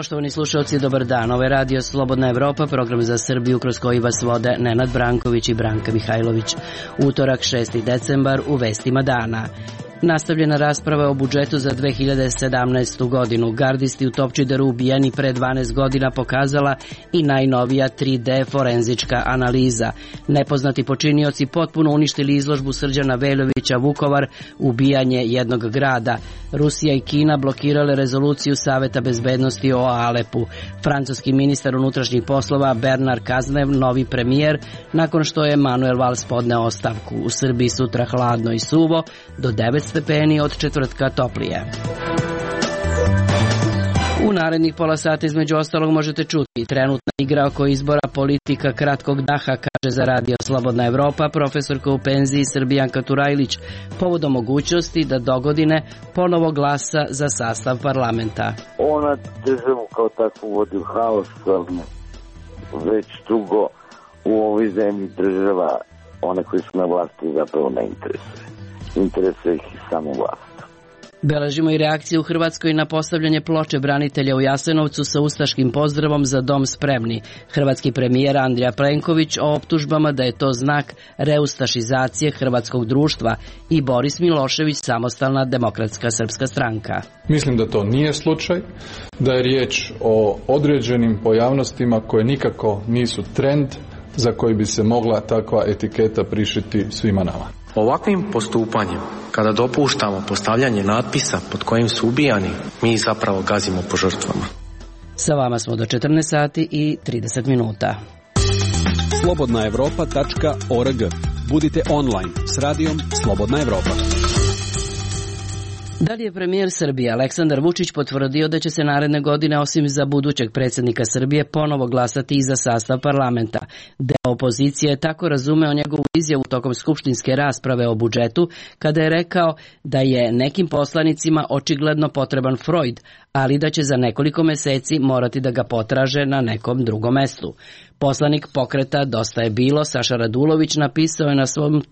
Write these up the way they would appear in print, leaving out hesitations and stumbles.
Poštovani slušalci, dobar dan. Ovo je Radio Slobodna Evropa, program za Srbiju kroz koji vas vode Nenad Branković i Branka Mihajlović. Utorak, 6. decembar, u vestima dana. Nastavljena rasprava o budžetu za 2017. godinu. Gardisti u Topčideru ubijeni pre 12 godina pokazala i najnovija 3D forenzička analiza. Nepoznati počinioci potpuno uništili izložbu Srđana Veljovića Vukovar, ubijanje jednog grada. Rusija i Kina blokirale rezoluciju Saveta bezbednosti o Alepu. Francuski ministar unutrašnjih poslova Bernard Cazeneuve novi premijer nakon što je Manuel Valls podneo ostavku. U Srbiji sutra hladno i suvo, do 9 stepeni, od četvrtka toplije. U narednih pola sata između ostalog možete čuti trenutna igra oko izbora politika kratkog daha, kaže za Radio Slobodna Evropa profesorka u penziji Srbijanka Turajlić, povodom mogućnosti da dogodine ponovo glasa za sastav parlamenta. Ona državu kao takvu vodi u haos, ali već dugo u ovoj zemlji država, one koji su na vlasti, zapravo ne interesuje. Interesuje ih i samo vlast. Beležimo i reakciju u Hrvatskoj na postavljanje ploče branitelja u Jasenovcu sa ustaškim pozdravom "Za dom spremni". Hrvatski premijer Andrej Plenković o optužbama da je to znak reustašizacije hrvatskog društva i Boris Milošević, Samostalna demokratska srpska stranka. Mislim da to nije slučaj, da je riječ o određenim pojavnostima koje nikako nisu trend za koji bi se mogla takva etiketa prišiti svima nama. Ovakvim postupanjem, kada dopuštamo postavljanje natpisa pod kojim su ubijani, mi zapravo gazimo po žrtvama. Sa vama smo do 14 sati i 30 minuta. slobodnaevropa.org. Budite online s radijom Slobodna Evropa. Da li je premijer Srbije Aleksandar Vučić potvrdio da će se naredne godine, osim za budućeg predsjednika Srbije, ponovo glasati i za sastav parlamenta? Deo opozicije je tako razumeo njegovu izjavu tokom skupštinske rasprave o budžetu, kada je rekao da je nekim poslanicima očigledno potreban Freud, ali da će za nekoliko meseci morati da ga potraže na nekom drugom mestu. Poslanik pokreta Dosta je bilo, Saša Radulović, napisao je na svom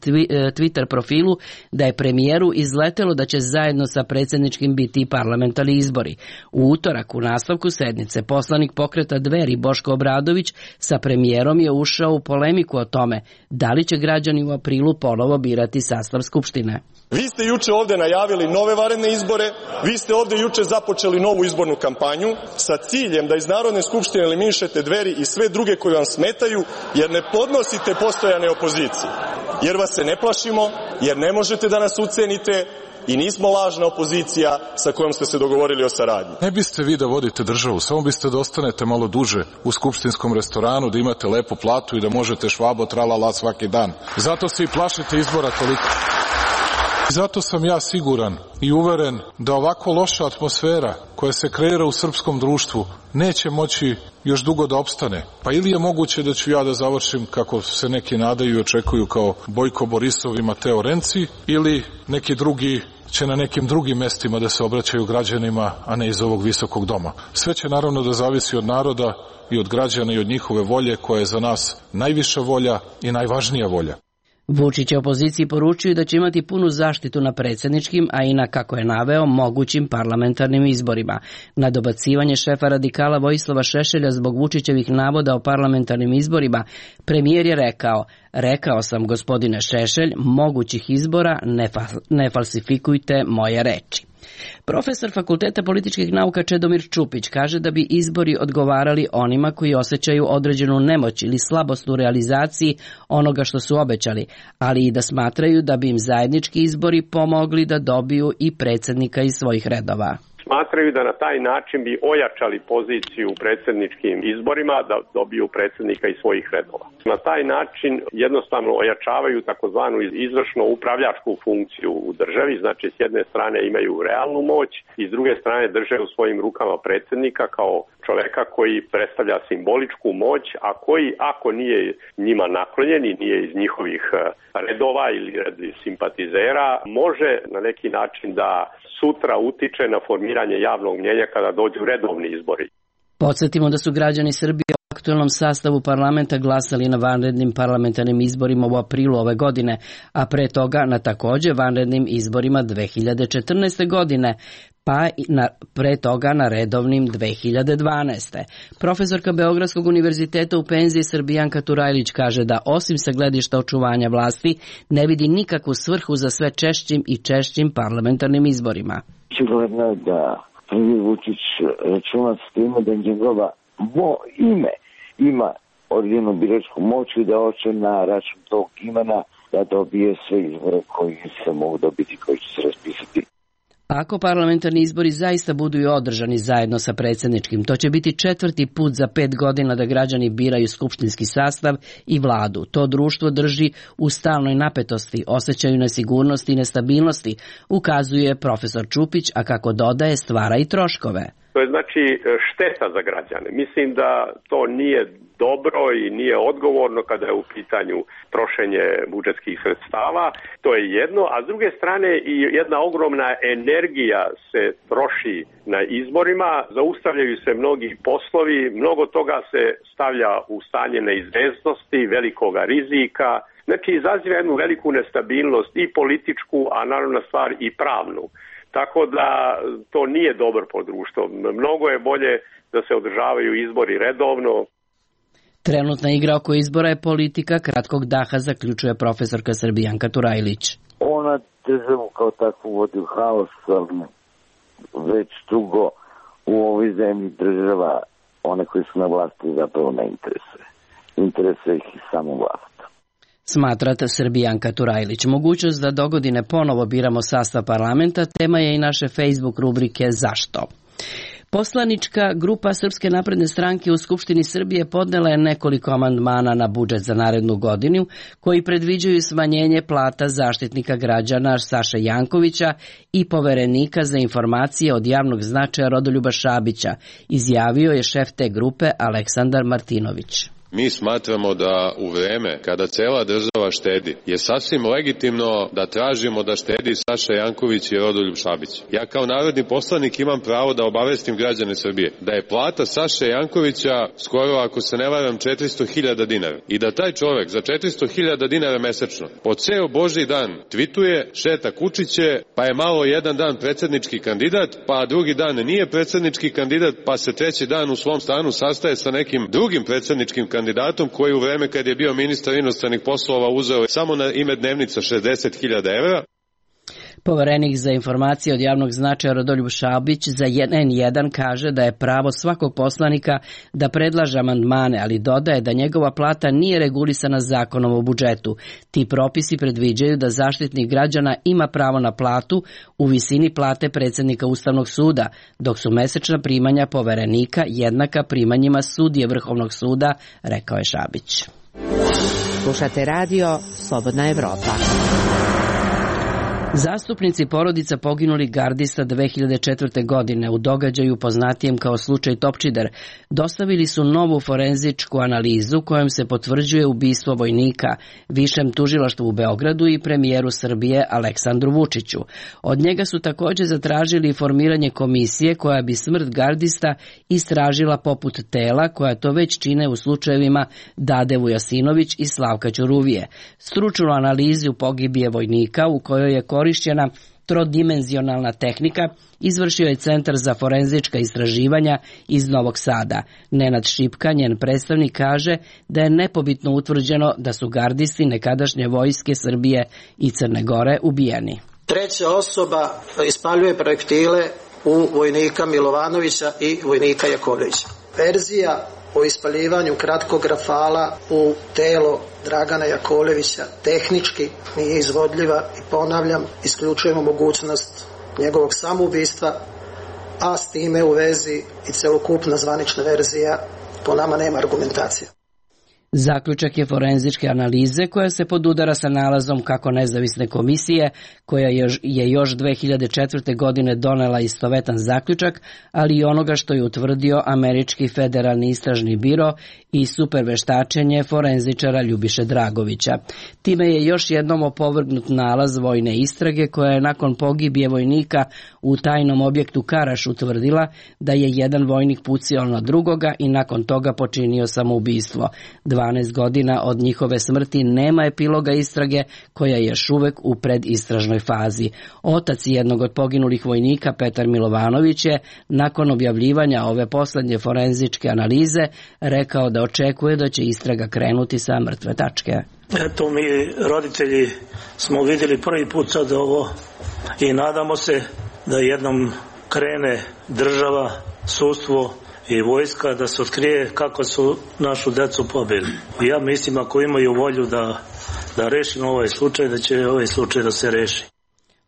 Twitter profilu da je premijeru izletelo da će zajedno sa predsjedničkim biti i parlamentarni izbori. U utorak, u nastavku sednice, poslanik pokreta Dveri Boško Obradović sa premijerom je ušao u polemiku o tome da li će građani u aprilu ponovo birati sastav Skupštine. Vi ste juče ovde najavili nove vanredne izbore, vi ste ovde juče započeli novu izbornu kampanju sa ciljem da iz Narodne skupštine eliminišete Dveri i sve druge koji vam smetaju, jer ne podnosite postojane opozicije. Jer vas se ne plašimo, jer ne možete da nas ucenite i nismo lažna opozicija sa kojom ste se dogovorili o saradnji. Ne biste vi da vodite državu, samo biste da ostanete malo duže u skupštinskom restoranu, da imate lepu platu i da možete švabo tralala svaki dan. Zato se i plašite izbora toliko. Zato sam ja siguran i uveren da ovako loša atmosfera koja se kreira u srpskom društvu neće moći još dugo da opstane. Pa ili je moguće da ću ja da završim, kako se neki nadaju i očekuju, kao Bojko Borisov i Mateo Renci, ili neki drugi će na nekim drugim mestima da se obraćaju građanima, a ne iz ovog visokog doma. Sve će naravno da zavisi od naroda i od građana i od njihove volje, koja je za nas najviša volja i najvažnija volja. Vučić je opoziciji poručio da će imati punu zaštitu na predsjedničkim, a i na, kako je naveo, mogućim parlamentarnim izborima. Na dobacivanje šefa radikala Vojislava Šešelja zbog Vučićevih navoda o parlamentarnim izborima, premijer je rekao sam, gospodine Šešelj, mogućih izbora, ne falsifikujte moje reči. Profesor Fakulteta političkih nauka Čedomir Čupić kaže da bi izbori odgovarali onima koji osjećaju određenu nemoć ili slabost u realizaciji onoga što su obećali, ali i da smatraju da bi im zajednički izbori pomogli da dobiju i predsjednika iz svojih redova. Smatraju da na taj način bi ojačali poziciju u predsjedničkim izborima, da dobiju predsjednika iz svojih redova. Na taj način jednostavno ojačavaju takozvanu izvršno upravljačku funkciju u državi, znači s jedne strane imaju realnu moć i s druge strane drže u svojim rukama predsjednika kao čovjeka koji predstavlja simboličku moć, a koji, ako nije njima naklonjen i nije iz njihovih redova ili simpatizera, može na neki način da sutra utiče na formiranje javnog mnjenja kada dođu redovni izbori. Podsjetimo da su građani Srbije u aktualnom sastavu parlamenta glasali na vanrednim parlamentarnim izborima u aprilu ove godine, a pre toga na također vanrednim izborima 2014. godine. pa pre toga na redovnim 2012. Profesorka Beogradskog univerziteta u penziji Srbijanka Turajlić kaže da osim sa gledišta očuvanja vlasti ne vidi nikakvu svrhu za sve češćim i češćim parlamentarnim izborima. Očigledno je da premijer Vučić računa s time da njegova ime ima određenu biračku moć i da hoće na račun tog imena da dobije sve izbore koji se mogu dobiti, koji će se raspisati. Ako parlamentarni izbori zaista budu i održani zajedno sa predsjedničkim, to će biti 4. put za 5 godina da građani biraju skupštinski sastav i vladu. To društvo drži u stalnoj napetosti, osjećaju nesigurnosti i nestabilnosti, ukazuje profesor Čupić, a kako dodaje, stvara i troškove. To je znači šteta za građane. Mislim da to nije dobro i nije odgovorno kada je u pitanju trošenje budžetskih sredstava. To je jedno, a s druge strane i jedna ogromna energija se troši na izborima, zaustavljaju se mnogi poslovi, mnogo toga se stavlja u stanje neizvesnosti, velikoga rizika. Znači izaziva jednu veliku nestabilnost i političku, a naravno stvar i pravnu. Tako da to nije dobro po društvu. Mnogo je bolje da se održavaju izbori redovno. Trenutna igra oko izbora je politika kratkog daha, zaključuje profesorka Srbijanka Turajlić. Ona državu kao takvu vodi u haos, ali već dugo u ovoj zemlji država one koji su na vlasti zapravo ne interesuje. Interesuje ih samo vlast. Smatrate Srbijanka Turajlić. Mogućnost da dogodine ponovo biramo sastav parlamenta tema je i naše Facebook rubrike Zašto? Poslanička grupa Srpske napredne stranke u Skupštini Srbije podnela je nekoliko amandmana na budžet za narednu godinu koji predviđaju smanjenje plata zaštitnika građana Saše Jankovića i poverenika za informacije od javnog značaja Rodoljuba Šabića, izjavio je šef te grupe Aleksandar Martinović. Mi smatramo da u vreme kada cela država štedi je sasvim legitimno da tražimo da štedi Saša Janković i Rodoljub Šabić. Ja kao narodni poslanik imam pravo da obavestim građane Srbije da je plata Saše Jankovića skoro, ako se ne varam, 400.000 dinara i da taj čovek za 400.000 dinara mesečno po ceo Božji dan tvituje, šeta kučiće, pa je malo jedan dan predsjednički kandidat, pa drugi dan nije predsjednički kandidat, pa se treći dan u svom stanu sastaje sa nekim drugim predsjedničkim kandidatom koji u vreme kad je bio ministar inostranih poslova uzeo samo na ime dnevnica 60.000 evra. Poverenik za informacije od javnog značaja Rodoljub Šabić za N1 kaže da je pravo svakog poslanika da predlaže amandmane, ali dodaje da njegova plata nije regulisana zakonom o budžetu. Ti propisi predviđaju da zaštitnik građana ima pravo na platu u visini plate predsjednika Ustavnog suda, dok su mesečna primanja poverenika jednaka primanjima sudije Vrhovnog suda, rekao je Šabić. Slušate radio Slobodna Evropa. Zastupnici porodica poginulih gardista 2004. godine u događaju poznatijem kao slučaj Topčider dostavili su novu forenzičku analizu kojom se potvrđuje ubistvo vojnika Višem tužilaštvu u Beogradu i premijeru Srbije Aleksandru Vučiću. Od njega su također zatražili formiranje komisije koja bi smrt gardista istražila poput tela koja to već čine u slučajevima Dade Vujasinović i Slavka Ćuruvije. Stručnu analizu pogibije vojnika u kojoj je korišćena trodimenzionalna tehnika izvršio je Centar za forenzička istraživanja iz Novog Sada. Nenad Šipka, njen predstavnik, kaže da je nepobitno utvrđeno da su gardisti nekadašnje vojske Srbije i Crne Gore ubijeni. Treća osoba ispaljuje projektile u vojnika Milovanovića i vojnika Jakovljevića. Verzija o ispaljivanju kratkog rafala u telo Dragana Jakovljevića tehnički nije izvodljiva i ponavljam, isključujemo mogućnost njegovog samoubistva, a s time u vezi i celokupna zvanična verzija po nama nema argumentacije. Zaključak je forenzičke analize koja se podudara sa nalazom kako nezavisne komisije koja je još 2004. godine donela istovetan zaključak, ali i onoga što je utvrdio Američki federalni istražni biro i superveštačenje forenzičara Ljubiše Dragovića. Time je još jednom opovrgnut nalaz vojne istrage koja je nakon pogibije vojnika u tajnom objektu Karaš utvrdila da je jedan vojnik pucao na drugoga i nakon toga počinio samoubistvo. 2 12 godina od njihove smrti nema epiloga istrage koja je još uvek u predistražnoj fazi. Otac jednog od poginulih vojnika, Petar Milovanović, je nakon objavljivanja ove poslednje forenzičke analize rekao da očekuje da će istraga krenuti sa mrtve tačke. Eto, mi roditelji smo vidjeli prvi put sad ovo i nadamo se da jednom krene država, sudstvo i vojska da se otkrije kako su našu decu pobili. Ja mislim ako imaju volju da rešimo ovaj slučaj, da će ovaj slučaj da se reši.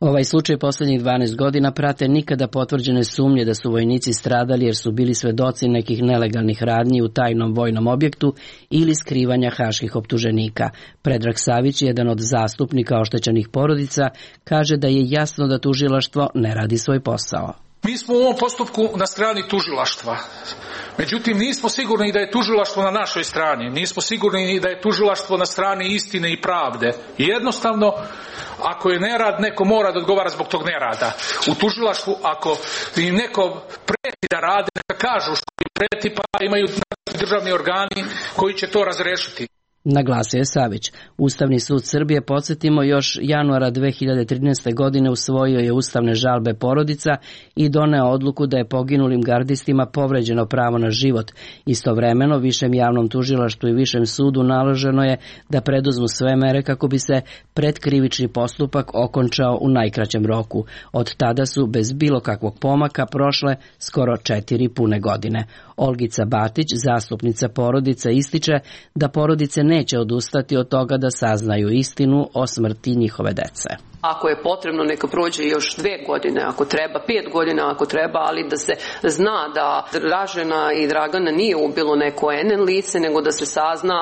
Ovaj slučaj poslednjih 12 godina prate nikada potvrđene sumnje da su vojnici stradali jer su bili svedoci nekih nelegalnih radnji u tajnom vojnom objektu ili skrivanja haških optuženika. Predrag Savić, jedan od zastupnika oštećenih porodica, kaže da je jasno da tužilaštvo ne radi svoj posao. Mi smo u ovom postupku na strani tužilaštva. Međutim, nismo sigurni da je tužilaštvo na našoj strani. Nismo sigurni da je tužilaštvo na strani istine i pravde. Jednostavno, ako je nerad, neko mora da odgovara zbog tog nerada. U tužilaštvu, ako im neko preti da rade, neka kažu što im preti, pa imaju državni organi koji će to razrešiti. Naglasio je Savić. Ustavni sud Srbije, podsjetimo, još januara 2013. godine usvojio je ustavne žalbe porodica i doneo odluku da je poginulim gardistima povređeno pravo na život. Istovremeno, Višem javnom tužilaštvu i Višem sudu naloženo je da preduzmu sve mere kako bi se predkrivični postupak okončao u najkraćem roku. Od tada su bez bilo kakvog pomaka prošle skoro 4 pune godine. Olgica Batić, zastupnica porodica, ističe da porodice neće odustati od toga da saznaju istinu o smrti njihove dece. Ako je potrebno, neka prođe još 2 godine, ako treba 5 godina, ako treba, ali da se zna da Dražena i Dragana nije ubilo neko NN lice, nego da se sazna,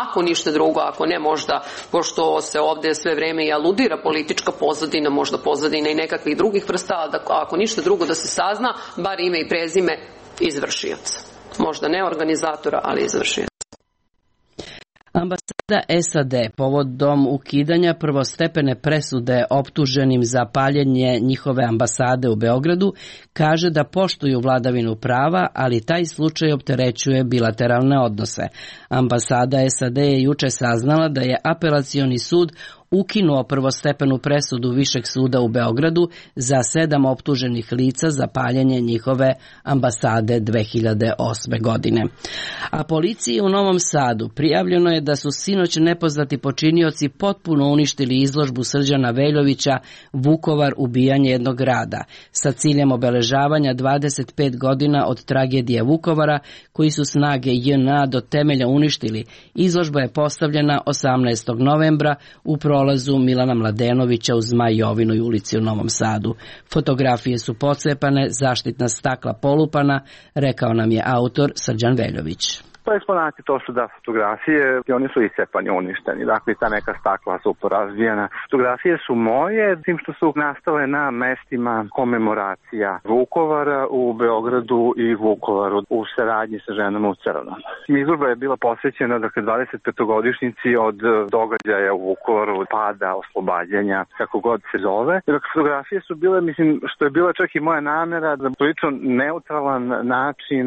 ako ništa drugo, ako ne možda, pošto se ovde sve vreme i aludira politička pozadina, možda pozadina i nekakvih drugih vrsta, ako ništa drugo da se sazna, bar ime i prezime izvršioca. Možda ne organizatora, ali izvršioca. Ambasada SAD povodom ukidanja prvostepene presude optuženim za paljenje njihove ambasade u Beogradu kaže da poštuju vladavinu prava, ali taj slučaj opterećuje bilateralne odnose. Ambasada SAD je juče saznala da je apelacioni sud ukinuo prvostepenu presudu Višeg suda u Beogradu za 7 optuženih lica za paljenje njihove ambasade 2008. godine. A policiji u Novom Sadu prijavljeno je da su sinoć nepoznati počinioci potpuno uništili izložbu Srđana Veljovića Vukovar, ubijanje jednog grada, sa ciljem obeležavanja 25 godina od tragedije Vukovara, koji su snage JNA do temelja uništili. Izložba je postavljena 18. novembra u prolazu Milana Mladenovića uz Zmaj Jovinoj ulici u Novom Sadu. Fotografije su pocepane, zaštitna stakla polupana, rekao nam je autor Srđan Veljović. To eksponati, to su fotografije i oni su iscepani, uništeni. Dakle, ta neka stakla su porazbijena. Fotografije su moje, tim što su nastale na mestima komemoracija Vukovara u Beogradu i Vukovaru u saradnji sa ženama u crnom. Izložba je bila posvećena 25-godišnjici od događaja u Vukovaru, pada, oslobađanja, kako god se zove. Fotografije su bile, što je bila čak i moja namera, da prilično neutralan način,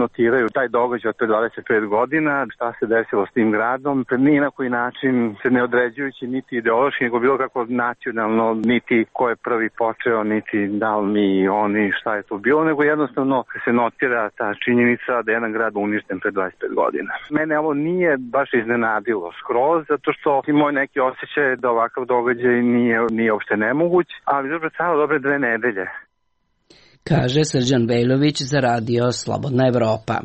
notiraju taj događaj od 25 godina, šta se desilo s tim gradom, ni na koji način se ne određujući niti ideološki, nego bilo kako nacionalno, niti ko je prvi počeo, niti da li mi oni, šta je to bilo, nego jednostavno se notira ta činjenica da je jedan grad uništen pre 25 godina. Mene ovo nije baš iznenadilo skroz, zato što i moj neki osjećaj da ovakav događaj nije uopšte nemoguć, ali dobro trajalo dobre 2 nedelje. Kaže Srđan Veljović za radio Slobodna Evropa.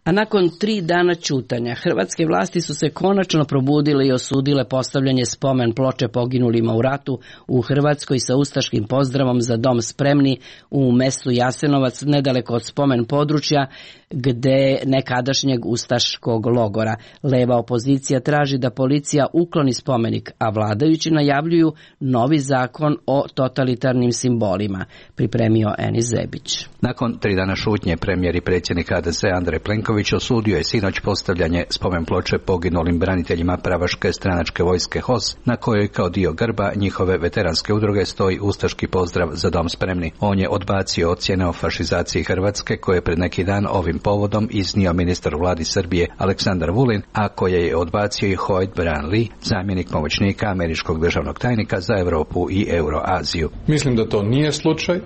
A nakon 3 dana ćutanja, hrvatske vlasti su se konačno probudile i osudile postavljanje spomen ploče poginulima u ratu u Hrvatskoj sa ustaškim pozdravom za dom spremni u mestu Jasenovac, nedaleko od spomen područja gde nekadašnjeg ustaškog logora. Leva opozicija traži da policija ukloni spomenik, a vladajući najavljuju novi zakon o totalitarnim simbolima. Pripremio Enis Zebić. Nakon 3 dana šutnje, premijer i predsjednik HDZ Andrej Plenković osudio je sinoć postavljanje spomen ploče poginulim braniteljima pravaške stranačke vojske HOS, na kojoj kao dio grba njihove veteranske udruge stoji ustaški pozdrav za dom spremni. On je odbacio ocjene o fašizaciji Hrvatske koje pred neki dan ovim ovim povodom iznio ministar u vladi Srbije Aleksandar Vulin, a koje je odbacio i Hoyt Bryan-Lee, zamjenik pomoćnika američkog državnog tajnika za Europu i Euroaziju. Mislim da to nije slučaj,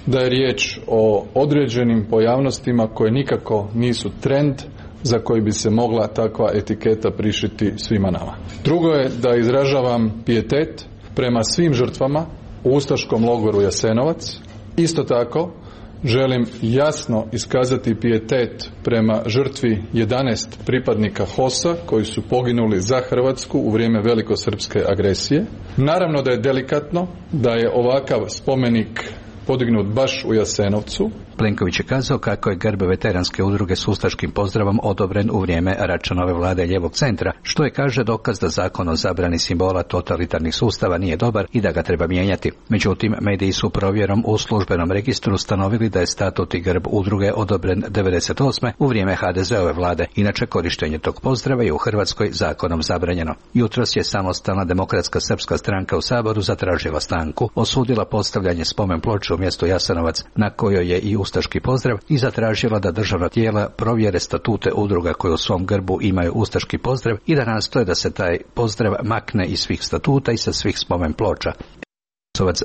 da je riječ o određenim pojavnostima koje nikako nisu trend za koji bi se mogla takva etiketa prišiti svima nama. Drugo je da izražavam pijetet prema svim žrtvama u ustaškom logoru Jasenovac. Isto tako želim jasno iskazati pijetet prema žrtvi 11 pripadnika HOS-a koji su poginuli za Hrvatsku u vrijeme velikosrpske agresije. Naravno da je delikatno da je ovakav spomenik podignut baš u Jasenovcu. Plenković je kazao kako je grb veteranske udruge s ustaškim pozdravom odobren u vrijeme Račanove vlade lijevog centra, što je, kaže, dokaz da zakon o zabrani simbola totalitarnih sustava nije dobar i da ga treba mijenjati. Međutim, mediji su provjerom u službenom registru ustanovili da je statut i grb udruge odobren 1998. u vrijeme HDZ-ove vlade. Inače, korištenje tog pozdrava je u Hrvatskoj zakonom zabranjeno. Jutros je Samostalna demokratska srpska stranka u Saboru zatražila stanku, osudila postavljanje spomen ploče u mjestu Jasenovac na kojoj je i ustaški pozdrav i zatražila da državna tijela provjere statute udruga koje u svom grbu imaju ustaški pozdrav i da nastoje da se taj pozdrav makne iz svih statuta i sa svih spomen ploča.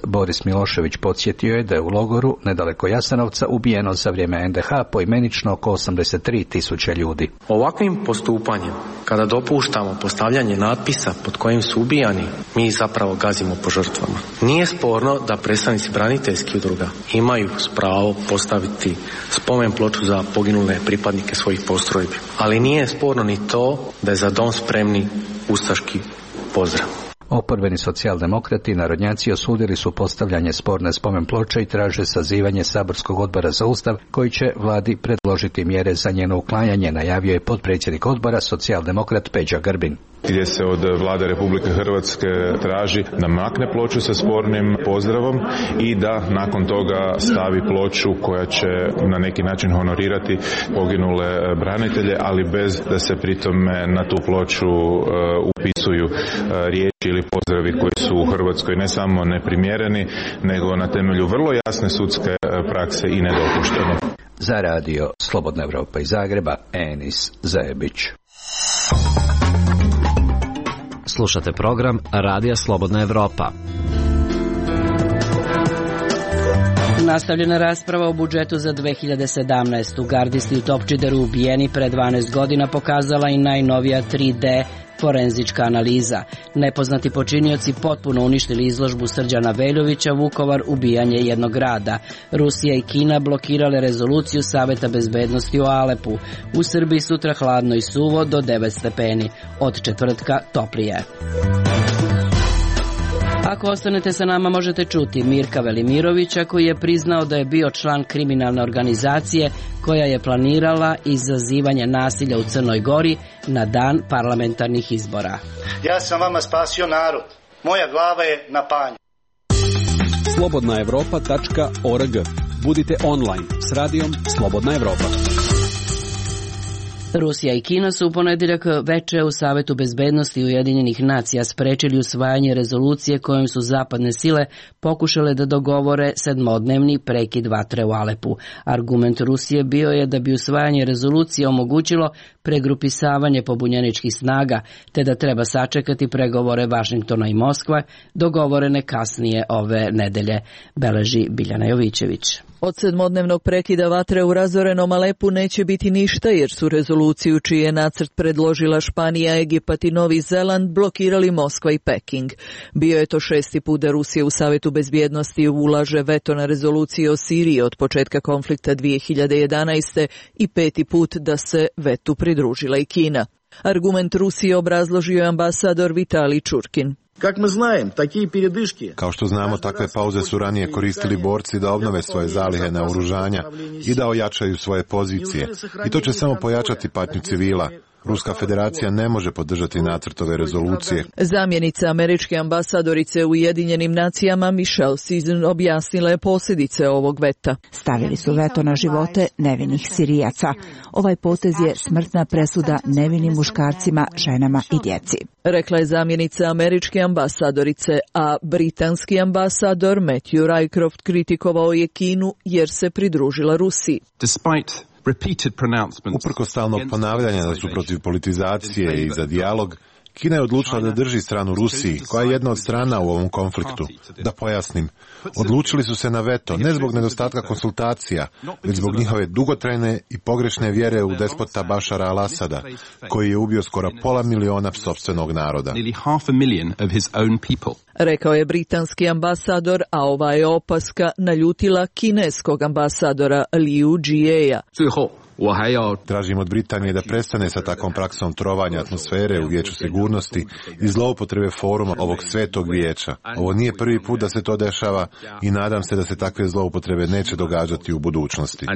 Boris Milošević podsjetio je da je u logoru nedaleko Jasenovca ubijeno za vrijeme NDH poimenično oko 83.000 ljudi. Ovakvim postupanjem, kada dopuštamo postavljanje natpisa pod kojim su ubijani, mi zapravo gazimo po žrtvama. Nije sporno da predstavnici braniteljskih udruga imaju pravo postaviti spomen ploču za poginule pripadnike svojih postrojbi, ali nije sporno ni to da je za dom spremni ustaški pozdrav. Oporbeni socijaldemokrati i narodnjaci osudili su postavljanje sporne spomen ploče i traže sazivanje saborskog odbora za Ustav koji će vladi predložiti mjere za njeno uklanjanje, najavio je potpredsjednik odbora socijaldemokrat Peđa Grbin. Gdje se od vlade Republike Hrvatske traži da makne ploču sa spornim pozdravom i da nakon toga stavi ploču koja će na neki način honorirati poginule branitelje, ali bez da se pritome na tu ploču upisuju riječi ili pozdravi koji su u Hrvatskoj ne samo neprimjereni, nego na temelju vrlo jasne sudske prakse i nedopušteni. Za radio Slobodna Evropa iz Zagreba, Enis Zajebić. Slušate program Radija Slobodna Evropa. Nastavljena rasprava o budžetu za 2017. Gardisti u Topčideru ubijeni pre 12 godina pokazala i najnovija 3D forenzička analiza. Nepoznati počinioci potpuno uništili izložbu Srđana Veljovića Vukovar ubijanje jednog grada. Rusija i Kina blokirale rezoluciju Saveta bezbednosti o Alepu. U Srbiji sutra hladno i suvo do 9 stepeni. Od četvrtka toplije. Ako ostanete sa nama možete čuti Mirka Velimirovića koji je priznao da je bio član kriminalne organizacije koja je planirala izazivanje nasilja u Crnoj Gori na dan parlamentarnih izbora. Ja sam vama spasio narod. Moja glava je na panju. Slobodnaevropa.org. Budite online s radijom Slobodna Evropa. Rusija i Kina su u ponedjeljak veče u Savetu bezbednosti Ujedinjenih nacija sprečili usvajanje rezolucije kojom su zapadne sile pokušale da dogovore sedmodnevni prekid vatre u Alepu. Argument Rusije bio je da bi usvajanje rezolucije omogućilo pregrupisavanje pobunjeničkih snaga, te da treba sačekati pregovore Vašingtona i Moskva, dogovorene kasnije ove nedelje, beleži Biljana Jovićević. Od sedmodnevnog prekida vatre u razorenom Alepu neće biti ništa jer su rezoluciju čiji je nacrt predložila Španija, Egipat i Novi Zeland blokirali Moskva i Peking. Bio je to 6. put da Rusija u Savetu bezbjednosti ulaže veto na rezoluciju o Siriji od početka konflikta 2011. i 5. put da se vetu pridružila i Kina. Argument Rusije obrazložio je ambasador Vitalij Čurkin. Kao što znamo, takve pauze su ranije koristili borci da obnove svoje zalihe naoružanja i da ojačaju svoje pozicije. I to će samo pojačati patnju civila. Ruska federacija ne može podržati nacrt ove rezolucije. Zamjenica američke ambasadorice u Ujedinjenim nacijama Michelle Season objasnila je posljedice ovog veta. Stavili su veto na živote nevinih Sirijaca. Ovaj potez je smrtna presuda nevinim muškarcima, ženama i djeci. Rekla je zamjenica američke ambasadorice, a britanski ambasador Matthew Rycroft kritikovao je Kinu jer se pridružila Rusiji. Uprkos stalnog ponavljanja da su protiv politizacije i za dijalog, Kina je odlučila da drži stranu Rusiji, koja je jedna od strana u ovom konfliktu. Da pojasnim, odlučili su se na veto, ne zbog nedostatka konsultacija, već zbog njihove dugotrajne i pogrešne vjere u despota Bašara al-Asada, koji je ubio skoro 500.000 sopstvenog naroda. Rekao je britanski ambasador, a ova je opaska naljutila kineskog ambasadora Liu Jieja. Tražim od Britanije da prestane sa takvom praksom trovanja atmosfere u Vijeću sigurnosti i zloupotrebe foruma ovog svetog vijeća. Ovo nije prvi put da se to dešava i nadam se da se takve zloupotrebe neće događati u budućnosti.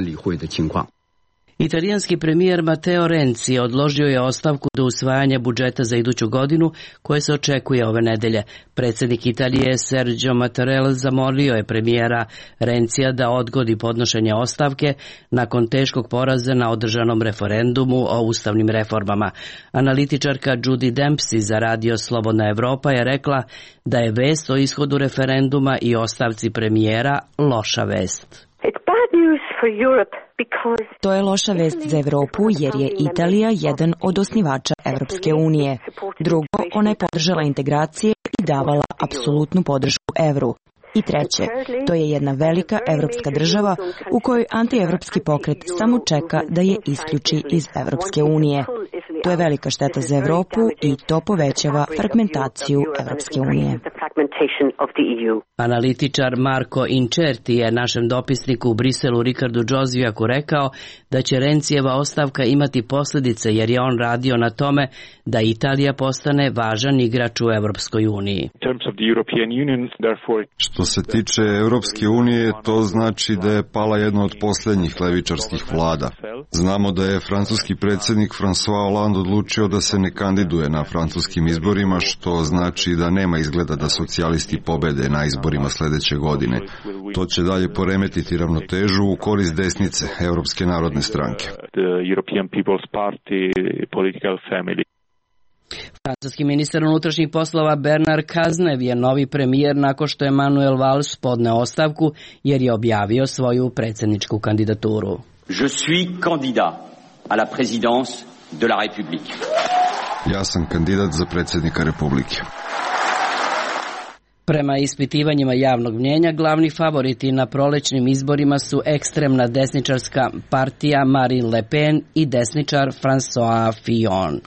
Italijanski premijer Matteo Renzi odložio je ostavku do usvajanja budžeta za iduću godinu koje se očekuje ove nedelje. Predsjednik Italije Sergio Mattarella zamolio je premijera Renzija da odgodi podnošenje ostavke nakon teškog poraza na održanom referendumu o ustavnim reformama. Analitičarka Judy Dempsey za radio Slobodna Evropa je rekla da je vest o ishodu referenduma i ostavci premijera loša vest. To je loša vest za Evropu jer je Italija jedan od osnivača Evropske unije. Drugo, ona je podržala integracije i davala apsolutnu podršku evru. I treće, to je jedna velika evropska država u kojoj antievropski pokret samo čeka da je isključi iz Evropske unije. To je velika šteta za Evropu i to povećava fragmentaciju Evropske unije. Analitičar Marko Incerti je našem dopisniku u Briselu Ricardu Džozvijaku rekao da će Rencijeva ostavka imati posljedice jer je on radio na tome da Italija postane važan igrač u Evropskoj uniji. Što se tiče Evropske unije, to znači da je pala jedna od posljednjih levičarskih vlada. Znamo da je francuski predsjednik François Hollande odlučio da se ne kandiduje na francuskim izborima, što znači da nema izgleda da socijalisti pobede na izborima sljedeće godine. To će dalje poremetiti ravnotežu u korist desnice, Europske narodne stranke. Francuski ministar unutrašnjih poslova Bernard Cazeneuve je novi premijer nakon što je Manuel Valls podneo ostavku jer je objavio svoju predsjedničku kandidaturu. Je suis candidat à la présidence de la République. Ja sam kandidat za predsjednika Republike. Prema ispitivanjima javnog mnjenja, glavni favoriti na prolećnim izborima su ekstremna desničarska partija Marine Le Pen i desničar François Fillon.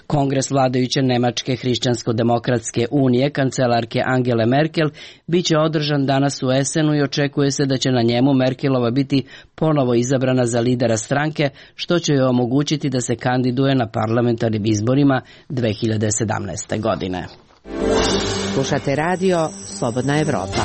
Kongres vladajuće Nemačke hrišćansko-demokratske unije, kancelarke Angele Merkel, bit će održan danas u Essenu i očekuje se da će na njemu Merkelova biti ponovo izabrana za lidera stranke, što će joj omogućiti da se kandiduje na parlamentarnim izborima 2017. godine. Slušate radio Slobodna Evropa.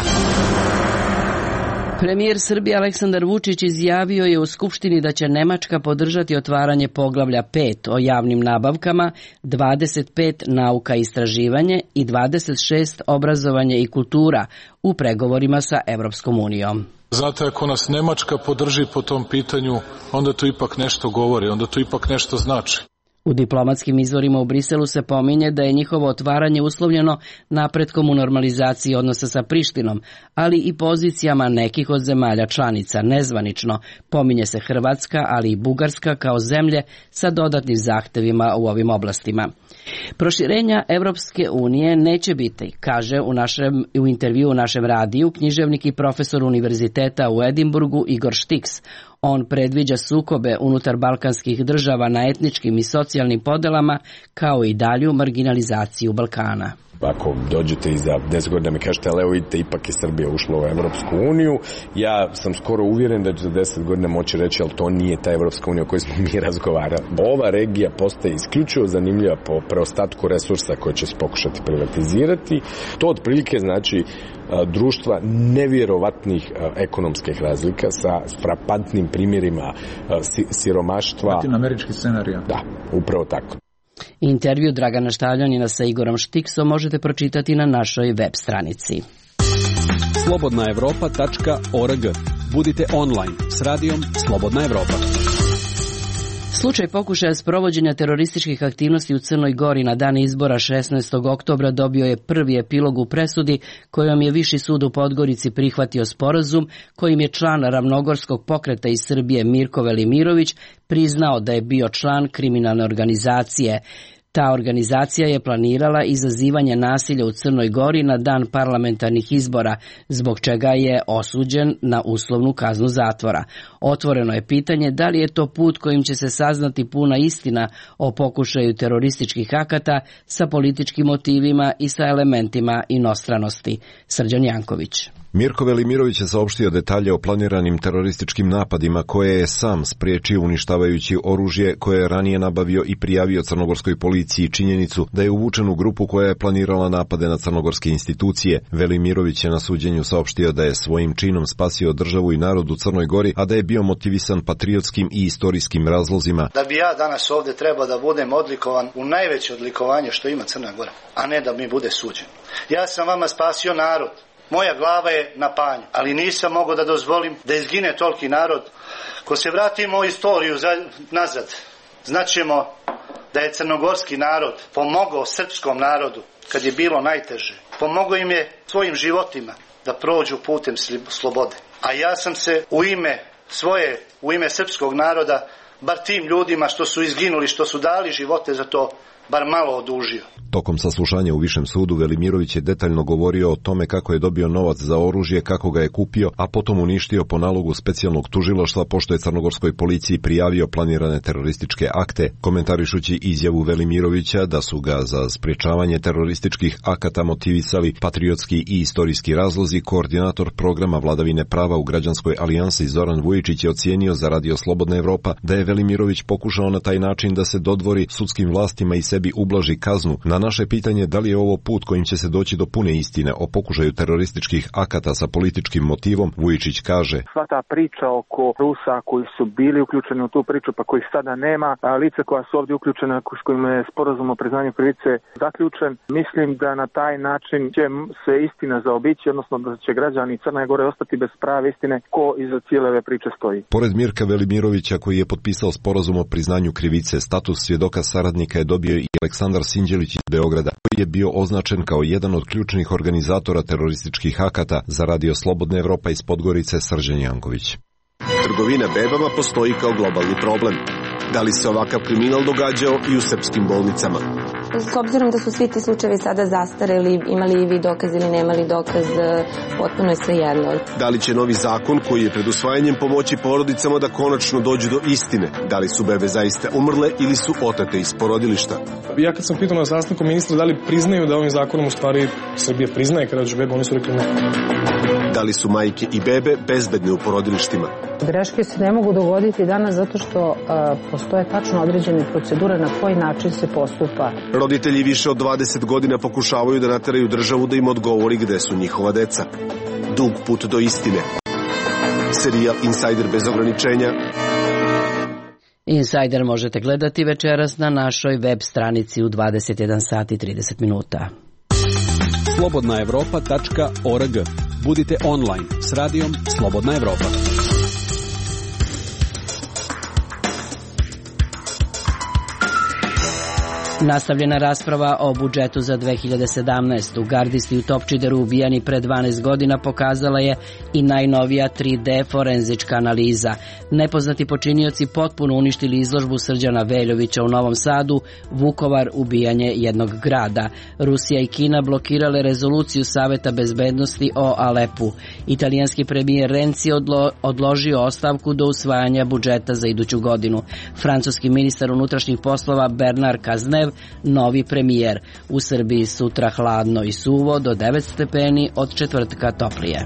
Premijer Srbije Aleksandar Vučić izjavio je u Skupštini da će Nemačka podržati otvaranje poglavlja 5 o javnim nabavkama, 25 nauka i istraživanje i 26 obrazovanje i kultura u pregovorima sa Evropskom unijom. Znate, ako nas Nemačka podrži po tom pitanju, onda to ipak nešto govori, onda to ipak nešto znači. U diplomatskim izvorima u Briselu se pominje da je njihovo otvaranje uslovljeno napretkom u normalizaciji odnosa sa Prištinom, ali i pozicijama nekih od zemalja članica. Nezvanično pominje se Hrvatska, ali i Bugarska kao zemlje sa dodatnim zahtevima u ovim oblastima. Proširenja Evropske unije neće biti, kaže u intervju u našem radiju književnik i profesor univerziteta u Edinburgu Igor Štiks. On predviđa sukobe unutar balkanskih država na etničkim i socijalnim podelama, kao i dalju marginalizaciju Balkana. Ako dođete i za 10 godina mi kažete, ali evo vidite, ipak je Srbija ušla u Evropsku uniju, ja sam skoro uvjeren da će za 10 godina moći reći, ali to nije ta Evropska unija o kojoj smo mi razgovarali. Ova regija postaje isključivo zanimljiva po preostatku resursa koje će se pokušati privatizirati. To otprilike znači društva nevjerovatnih ekonomskih razlika sa frapantnim primjerima siromaštva. Latinoamerički scenarij. Da, upravo tako. Intervju Dragana Štavljanina sa Igorom Štiksom možete pročitati na našoj web stranici. slobodnaevropa.org. Budite online s radijom Slobodna Evropa. Slučaj pokušaja sprovođenja terorističkih aktivnosti u Crnoj Gori na dan izbora 16. oktobra dobio je prvi epilog u presudi kojom je Viši sud u Podgorici prihvatio sporazum kojim je član Ravnogorskog pokreta iz Srbije Mirko Velimirović priznao da je bio član kriminalne organizacije. Ta organizacija je planirala izazivanje nasilja u Crnoj Gori na dan parlamentarnih izbora, zbog čega je osuđen na uslovnu kaznu zatvora. Otvoreno je pitanje da li je to put kojim će se saznati puna istina o pokušaju terorističkih akata sa političkim motivima i sa elementima inostranosti. Srđan Janković. Mirko Velimirović je saopštio detalje o planiranim terorističkim napadima koje je sam spriječio uništavajući oružje koje je ranije nabavio i prijavio crnogorskoj policiji činjenicu da je uvučen u grupu koja je planirala napade na crnogorske institucije. Velimirović je na suđenju saopštio da je svojim činom spasio državu i narod u Crnoj Gori, a da je bio motivisan patriotskim i istorijskim razlozima. Da bi ja danas ovdje trebao da budem odlikovan u najveće odlikovanje što ima Crna Gora, a ne da mi bude suđen. Ja sam vama spasio narod. Moja glava je na panju, ali nisam mogao da dozvolim da izgine toliki narod. Ko se vratimo u istoriju nazad, znaćemo da je crnogorski narod pomogao srpskom narodu kad je bilo najteže. Pomogao im je svojim životima da prođu putem slobode. A ja sam se u ime srpskog naroda, bar tim ljudima što su izginuli, što su dali živote za to, bar malo odužio. Tokom saslušanja u Višem sudu Velimirović je detaljno govorio o tome kako je dobio novac za oružje, kako ga je kupio, a potom uništio po nalogu specijalnog tužilaštva pošto je crnogorskoj policiji prijavio planirane terorističke akte, komentarišući izjavu Velimirovića da su ga za sprječavanje terorističkih akata motivisali patriotski i istorijski razlozi. Koordinator programa vladavine prava u Građanskoj alijansi Zoran Vujičić je ocijenio za Radio Slobodna Evropa da je Velimirović pokušao na taj način da se dodvori sudskim vlastima i sebi ublaži kaznu. Na naše pitanje da li je ovo put kojim će se doći do pune istine o pokušaju terorističkih akata sa političkim motivom, Vujičić kaže: sva ta priča oko Rusa koji su bili uključeni u tu priču pa kojih sada nema, a lica koja su ovdje uključena s kojima je sporazum o priznanju krivice zaključen, mislim da na taj način će se istina zaobići, odnosno da će građani Crne Gore ostati bez prave istine ko iza cijele ove priče stoji. Pored Mirka Velimirovića koji je potpisao sporazum o priznanju krivice, status svjedoka saradnika je dobio i Aleksandar Sinđelić iz Beograda, koji je bio označen kao jedan od ključnih organizatora terorističkih akata. Za Radio Slobodna Evropa iz Podgorice, Srđan Janković. Trgovina bebama postoji kao globalni problem. Da li se ovakav kriminal događao i u srpskim bolnicama? S obzirom da su svi ti slučajevi sada zastareli, imali vi dokaz ili nemali dokaz, potpuno je svejedno. Da li će novi zakon koji je pred usvajanjem pomoći porodicama da konačno dođu do istine? Da li su bebe zaista umrle ili su otate iz porodilišta? Ja kad sam pitao na sastanku ministra da li priznaju da ovim zakonom u stvari Srbija priznaje kada dođu bebe, oni su rekli ne. Da li su majke i bebe bezbedne u porodilištima? Greške se ne mogu dogoditi danas zato što postoje tačno određene procedure na koji način se postupa. Roditelji više od 20 godina pokušavaju da nateraju državu da im odgovori gde su njihova deca. Dug put do istine. Serijal Insider bez ograničenja. Insider možete gledati večeras na našoj web stranici u 21 sati 30 minuta. slobodnaevropa.org. Budite online s radijom Slobodna Evropa. Nastavljena rasprava o budžetu za 2017. Gardisti u Topčideru ubijani pre 12 godina pokazala je i najnovija 3D forenzička analiza. Nepoznati počinioci potpuno uništili izložbu Srđana Veljovića u Novom Sadu, Vukovar ubijanje jednog grada. Rusija i Kina blokirale rezoluciju Saveta bezbednosti o Alepu. Italijanski premijer Renzi odložio ostavku do usvajanja budžeta za iduću godinu. Francuski ministar unutrašnjih poslova Bernard Cazeneuve novi premijer. U Srbiji sutra hladno i suvo do 9 stepeni, od četvrtka toplije.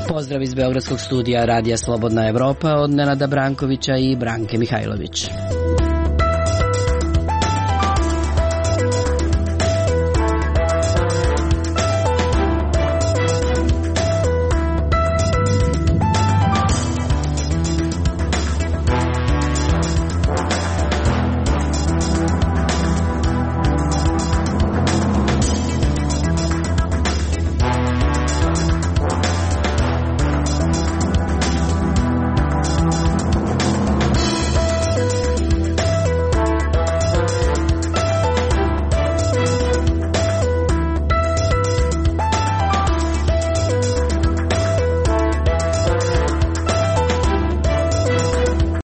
Pozdrav iz Beogradskog studija Radija Slobodna Evropa od Nenada Brankovića i Branke Mihajlović.